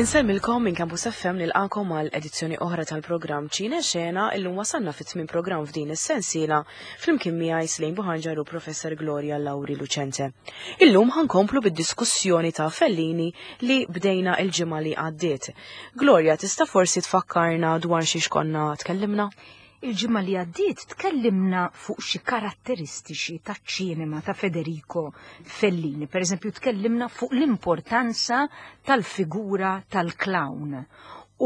Insellmilkom minn Campus FM nilqakom għal edizzjoni oħra tal-programm Ċine Xena illum wasalna fit-tmien programm f'din is-sensiela flimkien miegħi Slejn Buħanġar u Professor Gloria Lauri Lucente. Illum ħankomplu bid-diskussjoni ta' Fellini li bdejna il-ġimgħa li għaddiet. Gloria, tista' forsi tfakkarna dwar xiex konna tkellimna? Il-ġimgħa li għaddiet tkellimna fuq xi karatteristiċi taċ-ċinema ta' Federico Fellini. Per eżempju, tkellimna fuq l-importanza tal-figura tal-clown.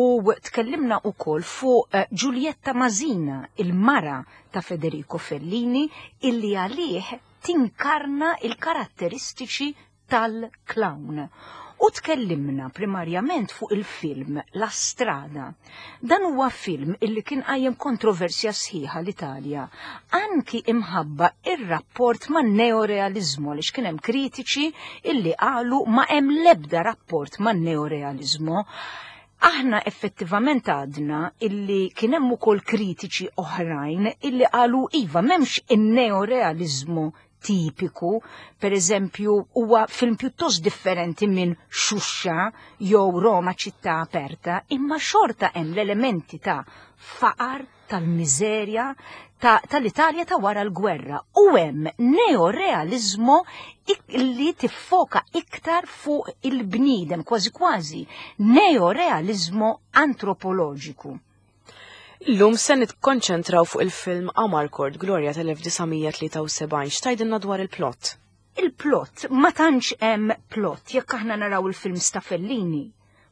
U tkellimna wkoll fuq eh, Giulietta Masina, il-mara ta' Federico Fellini, illi għalih tinkarna il-karatteristiċi tal-clown. U tkellimna primarjament fuq il-film La Strada. Dan huwa film illi kien qajjem kontroversja sħiħa l-Italja, anki imħabba ir-rapport man neorealizmu għaliex kien hemm kritiċi illi qalu ma hemm l-ebda rapport man neorealizmu. Aħna effettivament għadna illi kien hemm ukoll kritiċi oħrajn illi qalu iva m'hemmx in-neorealizmu tipiku, per eżempju, huwa film pjuttost differenti minn Xuxa jew Roma ċittà aperta, imma xorta hemm l-elementi ta' faqar, tal-miżerja, tal-Italja ta' wara l-gwerra u hemm neorealizmu li tiffoka iktar fuq il-bniedem, kważi kważi neorealizmu antropoloġiku. Illum se nikkonċentraw fuq il-film Amarcord Gloria tal-1973. X'tgħidilna dwar il-plot? Il-plot, ma tantx hemm plot, jekk aħna naraw il-film ta' Fellini,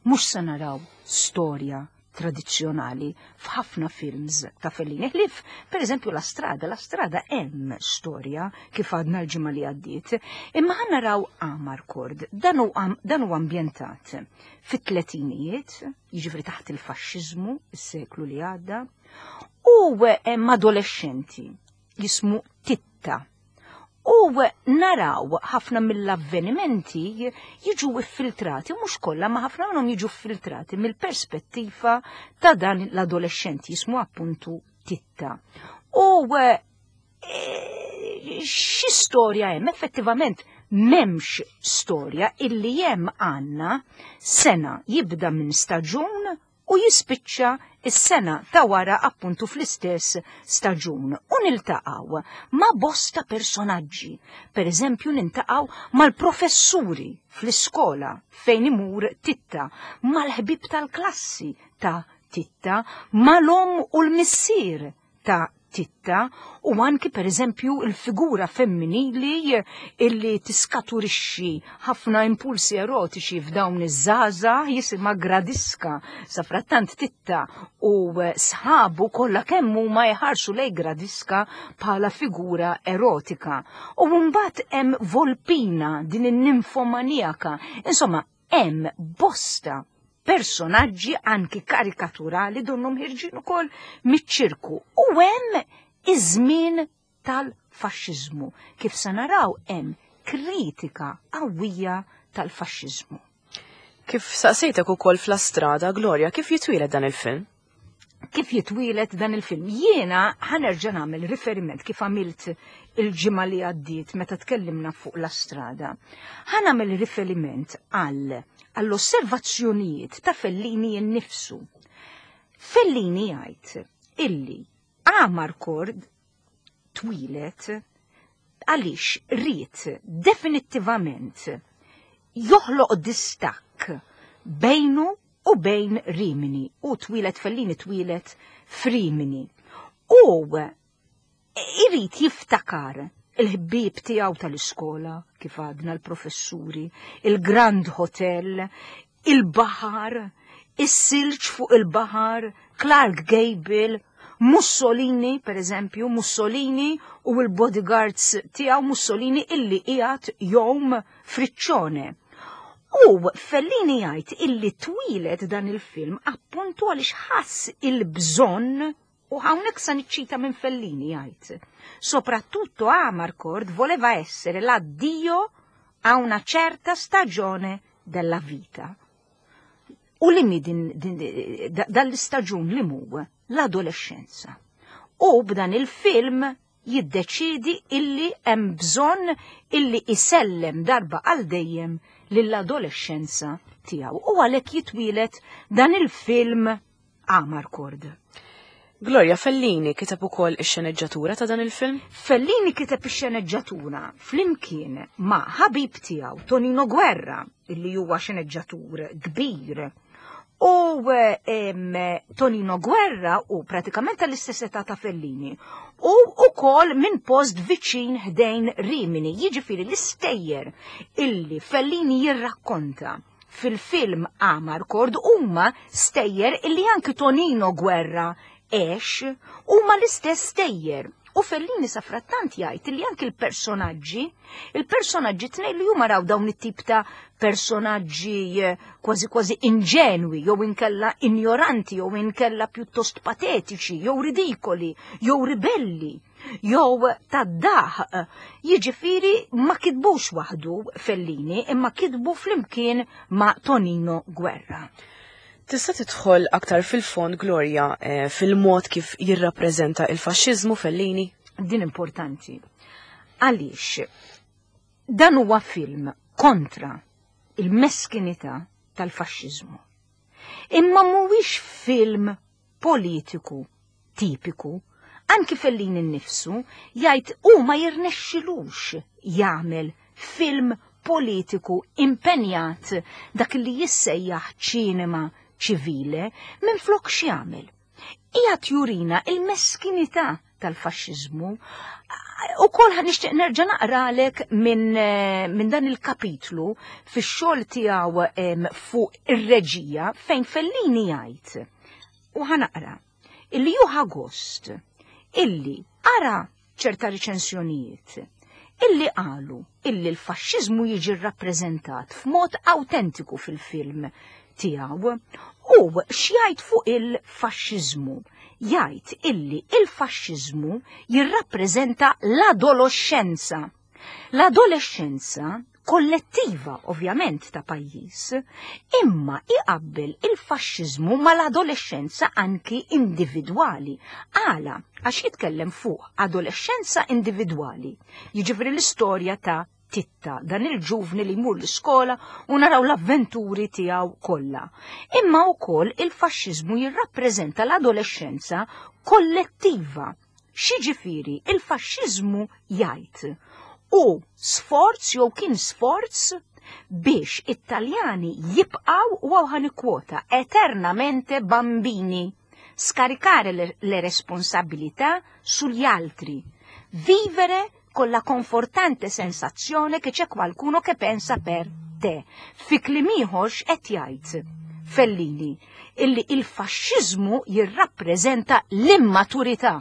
mhux se naraw storja tradizzjonali f'ħafna films ta' Fellini. Ħlief, per eżempju, La Strada, La Strada hemm storja kif għadna l-ġimgħa li għaddiet, imma ħa naraw Amarcord, dan huwa ambjentat fit-tletinijiet, jiġifieri taħt il-faxxiżmu, is-seklu li għadda, u hemm adolescenti jismu Titta. U naraw ħafna mill-avvenimenti jiġu iffiltrati, mhux kollha, ma ħafna minnhom jiġu filtrati mill-perspettiva ta' dan l-adolescenti jismu appuntu Titta. U eh, xi storja hemm? Effettivament m'hemmx storja illi hemm għandna sena jibda minn staġun u jispiċċa is-sena ta' wara appuntu fl-istess staġun. U niltaqgħu ma' bosta personaġġi. Per eżempju niltaqgħu mal-professuri fl-iskola fejn imur Titta, mal-ħbib tal-klassi ta' Titta, mal-om u l-missier ta' Titta u anki per eżempju il-figura femminili illi tiskaturixxi ħafna impulsi erotiċi f'dawn iż-żgħażagħ jisimha Gradiska. Safrattant Titta u sħabu kollha kemm huma jħarsu lej Gradiska bħala figura erotika. U mbagħad hemm Volpina din in-ninfomanijaka. Insomma, hemm bosta personaġġi anki karikaturali donnhom ħirġin ukoll miċ-ċirku u hemm iż-żmien tal-faxxiżmu. Kif se naraw hemm kritika qawwija tal-faxxiżmu. Kif saqsejtek ukoll f'La Strada, Gloria, kif jitwieled dan il-film? Kif jitwieled dan il-film? Jiena ħanerġa' nagħmel riferiment kif għamilt il-ġimgħa li għaddiet meta tkellimna fuq La Strada. Ħa nagħmel riferiment għal għall-osservazzjonijiet ta' Fellini innifsu. Fellini jgħid illi Amarcord twieled għaliex ried definittivament joħloq distakk bejnu u bejn Rimini. U twieled Fellini twieled f'Rimini. U irid jiftakar il-ħbieb tiegħu tal-iskola, kif għadna l-professuri, il-Grand Hotel, il-baħar, is-silġ fuq il-baħar, Clark Gable, Mussolini, per eżempju, Mussolini u l-bodyguards tiegħu Mussolini illi qiegħed jom friċċone. U Fellini jgħid illi twieled dan il-film appuntu għaliex ħass il-bżonn u hawnhekk sa niċċita minn Fellini jgħid. Soprattutto Amarcord voleva essere l'addio a una certa stagione della vita. U li mi din, din, dal-istaġun li mu l-adolescenza. U b'dan il-film jiddeċidi illi hemm bżonn illi isellem darba għal dejjem lill-adolescenza tiegħu u għalhekk jitwielet dan il-film Amarcord. Gloria Fellini kiteb ukoll ix-xeneġġatura ta' dan il-film? Fellini kiteb ix-xeneġġatura flimkien ma' ħabib tiegħu Tonino Guerra, illi huwa xeneġġatur kbir. U Tonino Guerra u pratikament tal-istess età ta' Fellini u ukoll minn post viċin ħdejn Rimini, jiġifieri l-istejjer illi Fellini jirrakkonta fil-film Amarcord huma stejjer illi anki Tonino Guerra għex huma l-istess stejjer. U Fellini safrattant jgħid li anki l-personaġġi, il-personaġġi tnejn li huma raw dawn it-tip ta' personaġġi eh, kważi kważi inġenwi, jew inkella injoranti, jew inkella pjuttost patetiċi, jew ridikoli, jew ribelli, jew tad-daħ. Jiġifieri ma kitbux waħdu Fellini, imma kitbu flimkien ma' Tonino Guerra. Tista' tidħol aktar fil-fond, Gloria, eh, fil-mod kif jirrappreżenta il-faxxiżmu Fellini? Din importanti. Għaliex dan huwa film kontra il-meskinità tal-faxxiżmu. Imma mhuwiex film politiku tipiku. Anki Fellini nnifsu jgħid hu ma jirnexxilux jagħmel film politiku impenjat dak li jissejjaħ ċinema ċivile minflok x'jagħmel. Qiegħed jurina il-meskinità tal-faxxiżmu. U kol nixtieq nerġa' naqralek minn eh, min dan il-kapitlu fix-xogħol tiegħu fuq ir-reġija fejn Fellini jgħid. U ħanaqra illi juħa gost illi ara ċerta riċensjonijiet illi qalu illi l-faxxiżmu jiġi rrappreżentat f'mod awtentiku fil-film tiegħu u x'jgħid fuq il-faxxiżmu jgħid illi il-faxxiżmu jirrappreżenta l-adolescenza. L-adolescenza kollettiva ovvjament ta' pajjiż, imma iqabbel il-faxxiżmu mal-adolescenza anki individwali. Għala, għax jitkellem fuq adolescenza individwali, jiġifieri l-istorja ta' Titta, dan il-ġuvni li jmur l-iskola u naraw l-avventuri tiegħu kollha. Imma wkoll il-faxxiżmu jirrappreżenta l-adolescenza kollettiva. X'jiġifieri il-faxxiżmu jgħid hu sforz jew kien sforz biex it-Taljani jibqgħu u hawn ħa nikkwota eternamente bambini, scaricare le, le responsabilità sugli altri, vivere con la confortante sensazione che c'è qualcuno che pensa per te. Fi kliem ieħor x'qed jgħid Fellini? Illi il-faxxiżmu jirrappreżenta l-immaturità,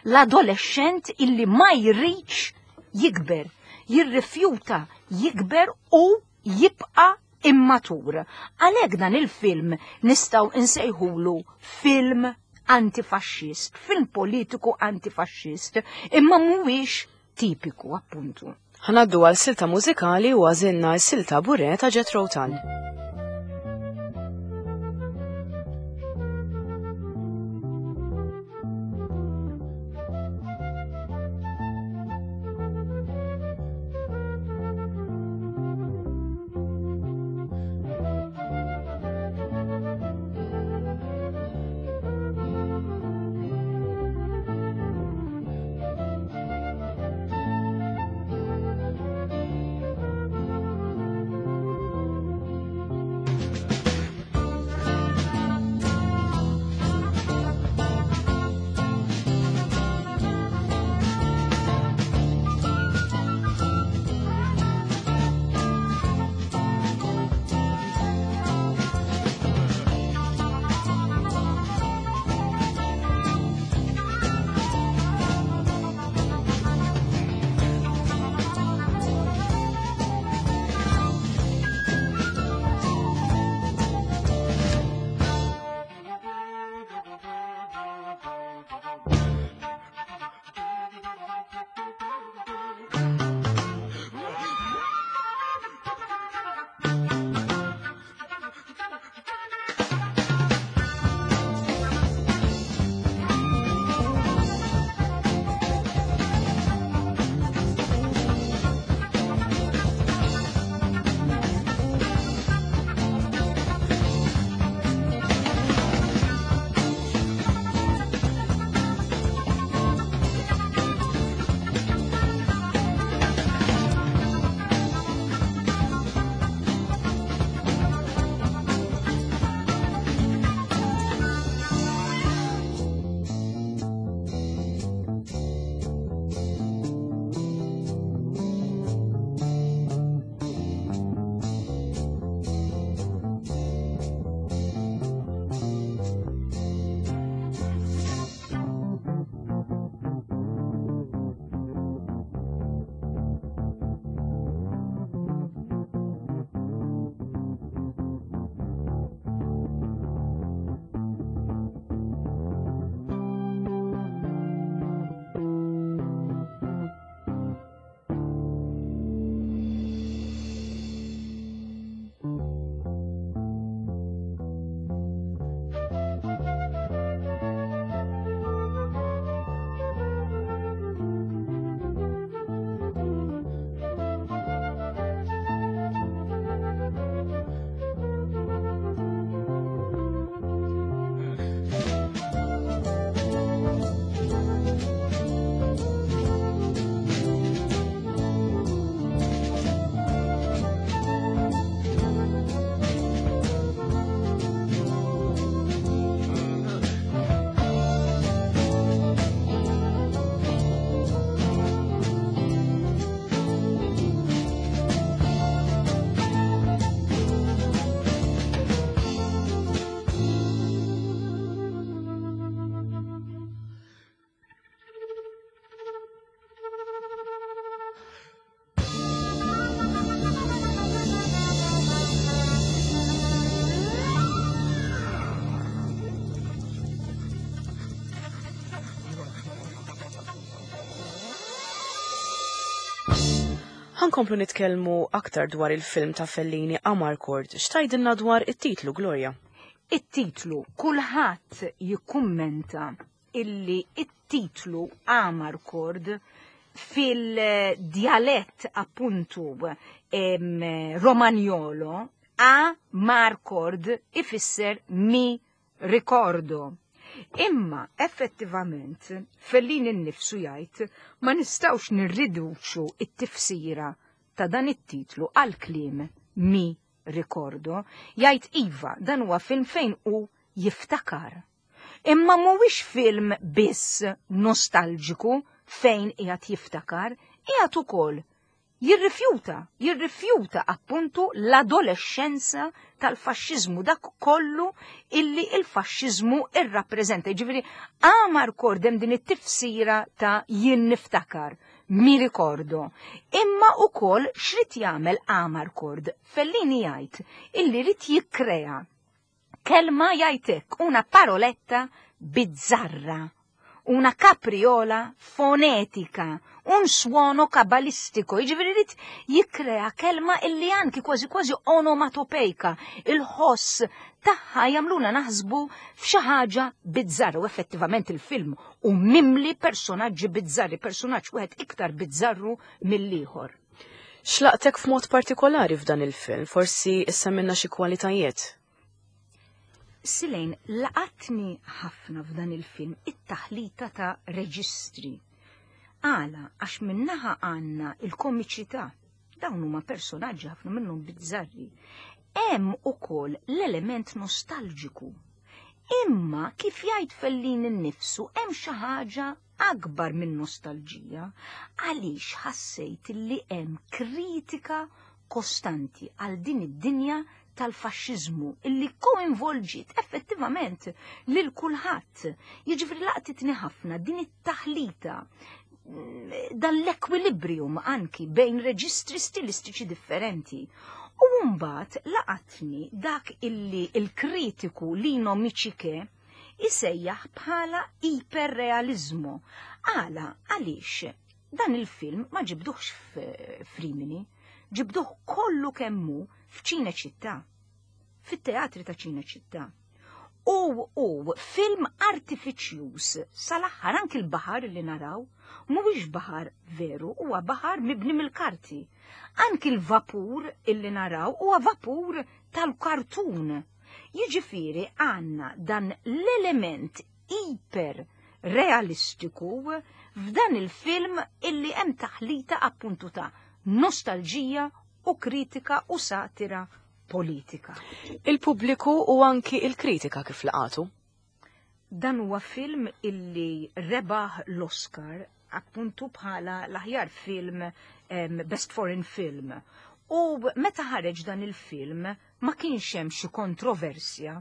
l-adolexxent illi ma jridx jikber, jirrifjuta jikber u jibqa' immatur. Għalhekk dan il-film nistgħu nsejħulu film antifaxxist, film politiku antifaxxist, imma mhuwiex tipiku appuntu. Ħanaddu għal silta mużikali u għażilna s-silta Bure ta' Jethro Tull. Ħankomplu nitkellmu aktar dwar il-film ta' Fellini Amarcord. X'tgħidilna dwar it-titlu, Gloria? It-titlu, kulħadd jikkummenta illi it-titlu Amarcord fil-djalett appuntu Romagnolo A Marcord ifisser mi ricordo. Imma effettivament Fellini nnifsu jgħid ma nistgħux nirriduċu it-tifsira ta' dan it-titlu għal kliem mi ricordo. Jgħid iva, dan huwa film fejn hu jiftakar. Imma mhuwiex film biss nostalġiku fejn qiegħed jiftakar, qiegħed ukoll jirrifjuta, jirrifjuta appuntu l-adolescenza tal-faxxiżmu, dak kollu illi il-faxxiżmu irrappreżenta. Jiġifieri Amarcord hemm din it-tifsira ta' jien niftakar, mi ricordo. Imma ukoll x'rid jagħmel Amarcord? Fellini jgħid illi rid jikkrea kelma jgħid hekk, una paroletta bizzarra, una capriola fonetika, un suono kabalistico, jiġifieri rid jikkrea kelma illi anki kważi kważi onomatopejka, il-ħoss tagħha jagħmluna naħsbu f'xi ħaġa bizzarra u effettivament il-film u mimli personaġġi bizzarri, personaġġ wieħed iktar bizzarru mill-ieħor. X'laqtek f'mod partikolari f'dan il-film? Forsi issemmilna xi kwalitajiet. Silejn, laqatni ħafna f'dan il-film it-taħlita ta' reġistri. Għala, għax minnaħa għandna il-komiċità. Dawn huma personaġġi ħafna minnhom bizzarri. Hemm ukoll l-element nostalġiku. Imma kif jgħid Fellini nnifsu hemm xi ħaġa akbar minn nostalġija għaliex ħassejt li hemm kritika kostanti għal din id-dinja tal-faxxiżmu illi koinvolġiet effettivament lil kulħadd. Jiġifieri laqtitni ħafna din it-taħlita dan l-ekwilibrium anki bejn reġistri stilistiċi differenti. U mbagħad laqatni dak illi il-kritiku Lino Micciche isejjaħ bħala iperrealiżmu. Għala, għaliex dan il-film ma ġibduhx f'Rimini, ġibduh kollu kemmu f'Ċineċittà, fit-teatri ta' Ċineċittà. U u film artifiċjuż sal-aħħar anki l-baħar li naraw mhuwiex baħar veru, huwa baħar mibni mill-karti. Anki l-vapur illi naraw huwa vapur tal-kartun. Jiġifieri għandna dan l-element iper realistiku f'dan il-film illi hemm taħlita appuntu ta' nostalġija u kritika u satira politika. Il-pubbliku u anki il-kritika kif laqatu? Dan huwa film illi rebaħ l-Oscar appuntu bħala l-aħjar film Best Foreign Film. U meta ħareġ dan il-film ma kienx hemm xi kontroversja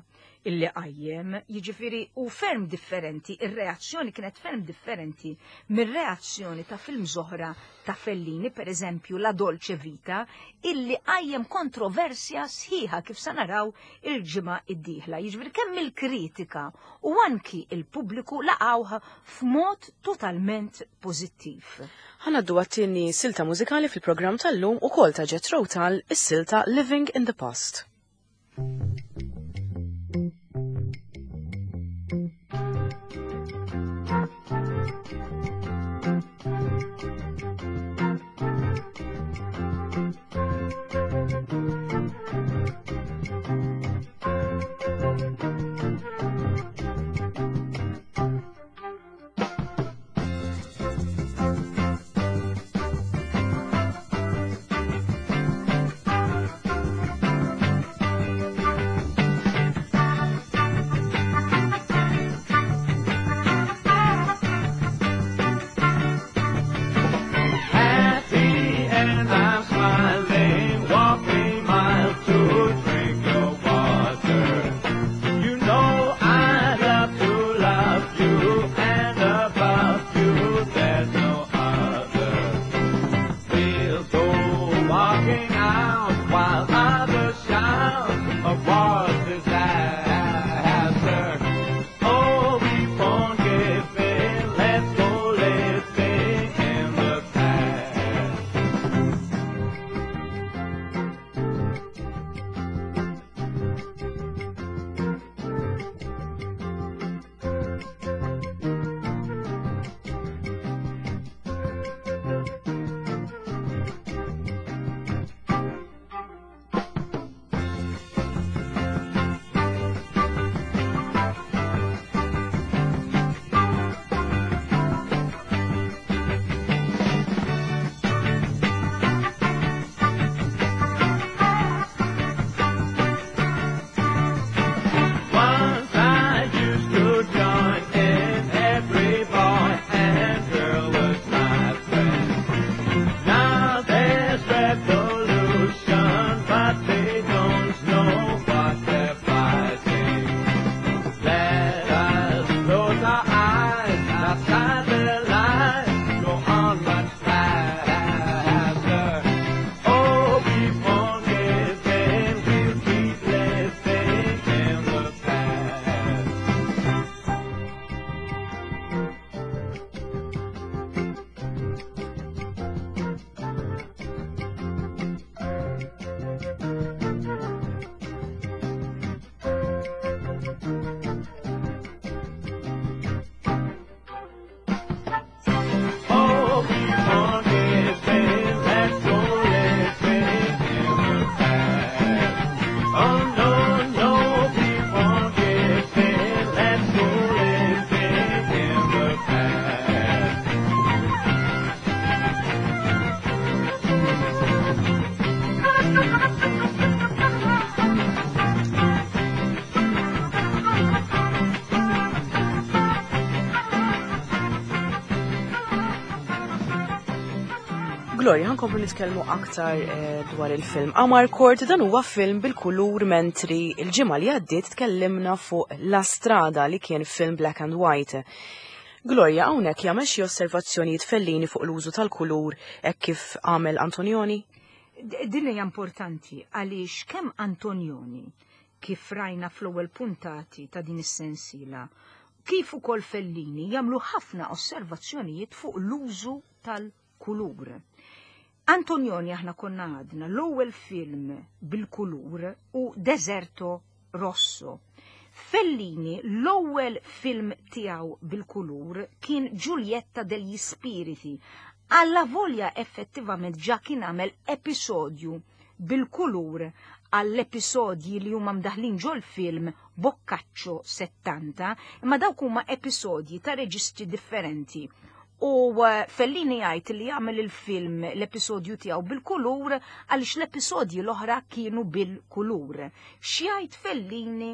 illi qajjem, jiġifieri u ferm differenti, ir-reazzjoni kienet ferm differenti mir-reazzjoni ta' film oħra ta' Fellini, per eżempju La Dolce Vita, illi qajjem kontroversja sħiħa kif sa naraw il-ġimgħa id-dieħla. Jiġifieri kemm il-kritika u anki il-pubbliku laqgħuha f'mod totalment pożittiv. Ħa ngħaddu għat-tieni silta mużikali fil-programm tal-lum ukoll ta' Jethro Tull, is-silta Living in the Past. Gloria, ħankomplu nitkellmu aktar eh, dwar il-film. Amarcord dan huwa film bil-kulur mentri il-ġimgħa li għaddiet tkellimna fuq La Strada li kien film black and white. Gloria, hawnhekk jagħmel xi osservazzjonijiet Fellini fuq l-użu tal-kulur hekk kif għamel Antonioni? Din hija importanti għaliex kemm Antonioni kif rajna fl-ewwel puntati ta' din is-sensiela, kif ukoll Fellini jagħmlu ħafna osservazzjonijiet fuq l-użu tal-kulur. Antonioni aħna konna għadna l-ewwel film bil-kulur u Deserto Rosso. Fellini l-ewwel film tiegħu bil-kulur kien Giulietta degli Spiriti. Alla volja effettivament ġa kien għamel episodju bil-kulur għall-episodji li huma mdaħlin ġol-film Boccaccio 70, imma dawk huma episodji ta' reġistri differenti. U eh, Fellini jgħid li jagħmel il-film l-episodju tiegħu bil-kulur għaliex l-episodji l-oħra kienu bil-kulur. X'jgħid Fellini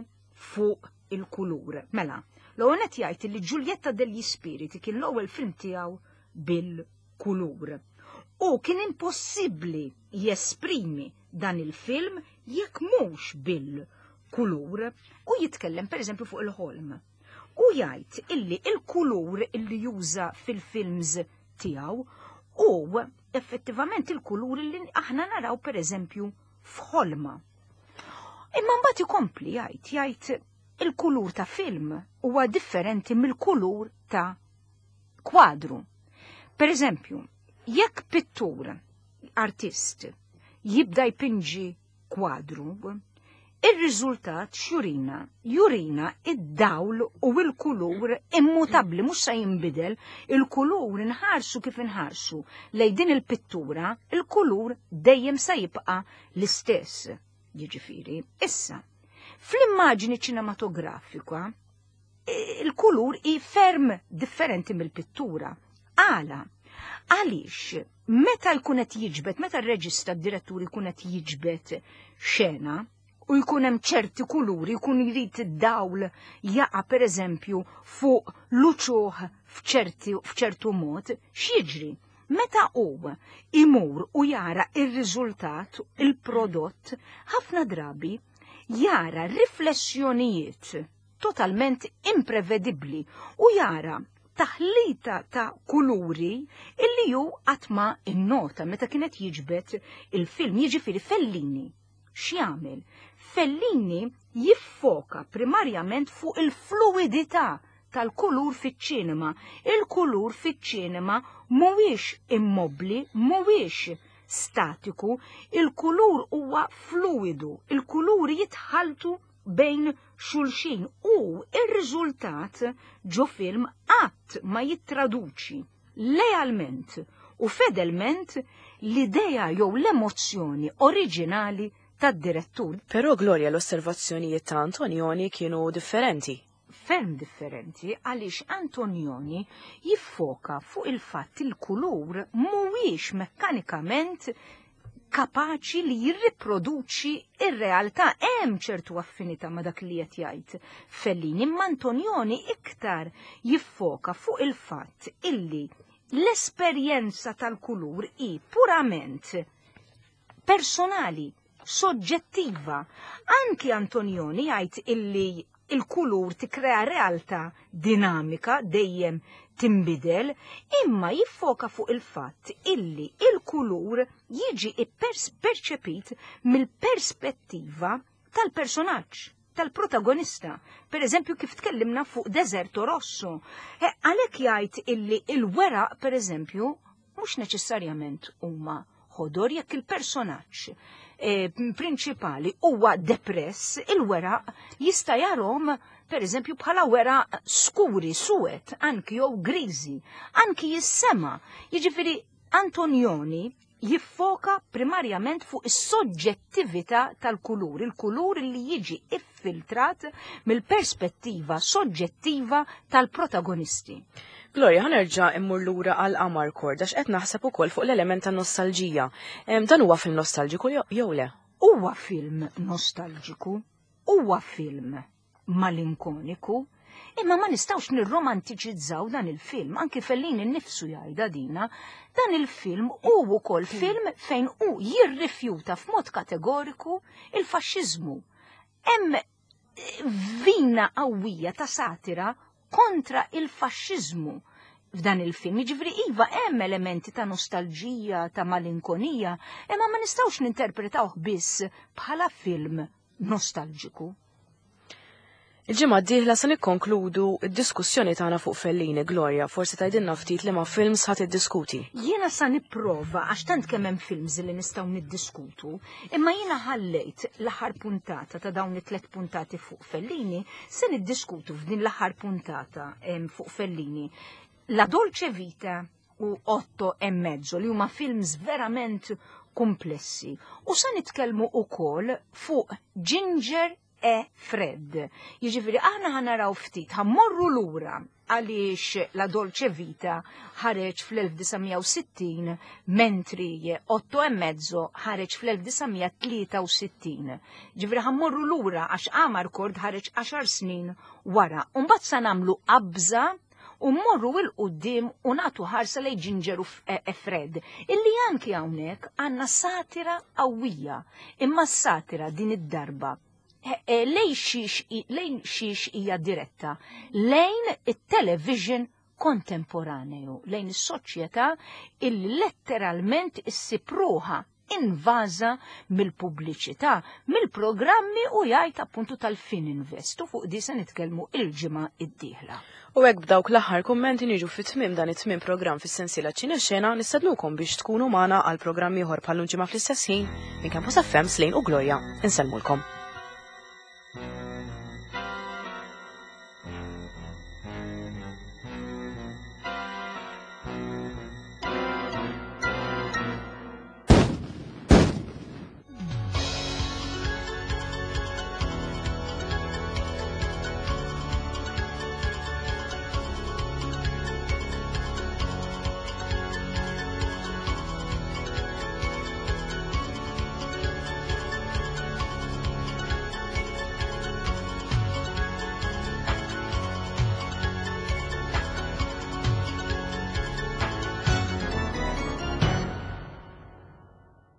fuq il-kulur? Mela, l-ewwel qed jgħid li Giulietta degli Spiriti kien l-ewwel film tiegħu bil-kulur. U kien impossibbli jesprimi dan il-film jekk mhux bil-kulur u jitkellem pereżempju fuq il-ħolm. U jgħid illi il-kulur illi juża fil-films tiegħu u effettivament il-kulur illi aħna naraw pereżempju f'ħolma. Imma mbagħad ikompli jgħid jgħid il-kulur ta' film huwa differenti mill-kulur ta' kwadru. Per eżempju, jekk pittur, artist, jibda jpinġi kwadru, ir-riżultat x'jurina? Jurina id-dawl u l-kulur immutabbli mhux se jinbidel, il-kulur inħarsu kif inħarsu lej din il-pittura, il-kulur dejjem se jibqa' l-istess. Jiġifieri, issa, fl-immaġni ċinematografika, il-kulur hi ferm differenti mill-pittura. Għala? Għaliex meta jkun qed jiġbed, meta r-reġista d-direttur jkun qed jiġbed xena u jkun hemm ċerti kuluri, jkun jrid id-dawl jaqa' pereżempju fuq l-uċuħ f'ċertu mod, x'jiġri? Meta hu imur u jara ir-riżultat, il-prodott, ħafna drabi jara riflessjonijiet totalment imprevedibbli u jara taħlita ta' kuluri illi ju qatt ma innota meta kienet jiġbed il-film, jiġifieri Fellini. X'jagħmel? Fellini jiffoka primarjament fuq il-fluidità tal-kulur fiċ-ċinema. Il-kulur fiċ-ċinema mhuwiex immobbli, mhuwiex statiku, il-kulur huwa fluidu, il-kuluri jitħaltu bejn xulxin u ir-riżultat ġo film qatt ma jittraduċi lealment u fedelment l-idea jew l-emozzjoni oriġinali tad-direttur. Però Gloria l-osservazzjonijiet ta' Antonioni kienu differenti. Ferm differenti għaliex Antonioni jiffoka fuq il-fatt il-kulur mhuwiex mekkanikament kapaċi li jirriproduċi ir-realtà. Hemm ċertu affinità ma' dak li qed jgħid Fellini, imma Antonioni iktar jiffoka fuq il-fatt illi l-esperjenza tal-kulur hi purament personali, soġġettiva. Anki Antonioni jgħid illi il-kulur tikkrea realtà dinamika dejjem tinbidel, imma jiffoka fuq il-fatt illi il-kulur jiġi perċepit mill-perspettiva tal-personaġġ, tal-protagonista. Per eżempju, kif tkellimna fuq Deserto Rosso. E, għalhekk jgħid illi il-weraq, per eżempju, mhux neċessarjament huma ħodor jekk il-personaġġ eh, prinċipali huwa depress, il-weraq jista' jarhom per eżempju bħala weraq skuri, suwed, anki jew griżi, anki jissema. Jiġifieri Antonioni jiffoka primarjament fuq is-soġġettività tal-kulur, il-kulur li jiġi iffiltrat mill-perspettiva soġġettiva tal-protagonisti. Gloria, ħa nerġa' immur lura għal Amarcord għax qed naħseb ukoll fuq l-element ta' nostalġija. Dan huwa film nostalġiku jew le? Huwa film nostalġiku, huwa film malinkoniku, Imma ma nistgħux nirromantiċizzaw dan il-film, anki Fellini nnifsu jgħidha dina, dan il-film hu wkoll film fejn hu jirrifjuta f'mod kategoriku il-faxxiżmu. Hemm vina qawwija ta' satira kontra il-faxxiżmu f'dan il-film. Jiġifieri iva hemm elementi ta' nostalġija, ta' malinkonija, imma ma nistgħux ninterpretawh biss bħala film nostalġiku. Il-ġimgħa d-dieħla se nikkonkludu d-diskussjoni tagħna fuq Fellini, Gloria, forsi tgħidilna ftit liema films ħa tiddiskuti. Jiena sa nipprova għax tant kemm hemm films li nistgħu niddiskutu, imma jiena ħallejt l-aħħar puntata ta' dawn it-tliet puntati fuq Fellini, se niddiskutu f'din l-aħħar puntata fuq Fellini. La Dolce Vita u Otto e Mezzo li huma films verament komplessi. U sa nitkellmu ukoll fuq Ginger e Fred. Jiġifieri aħna ħanaraw ftit, ħammorru lura għaliex La Dolce Vita ħareġ fl-1960 mentri Otto e Mezzo ħareġ fl-1963. Ġifieri ħammorru lura għax Amarcord ħareġ 10 snin wara. Umbagħad sa nagħmlu qabża u mmorru 'il quddiem u nagħtu ħarsa lejn Ginger u e Fred, illi anki hawnhekk għandna satira qawwija, imma s-satira din id-darba e, e, lejn xiex hija diretta, lejn it-television kontemporaneju, lejn is-soċjetà illi letteralment issib ruħha invaża mill-pubbliċità, mill-programmi u jgħid appuntu tal-Fininvest u fuq di se nitkellmu il-ġimgħa id-dieħla. U hekk b'dawk l-aħħar kummenti niġu fit-tmiem dan it-tmiem programm fis-sensiela Ċine Xena nistednukom biex tkunu magħna għal programm ieħor bħal ġimgħa fl-istess ħin minn Campus FM Slane u Gloria. Insellmulkom.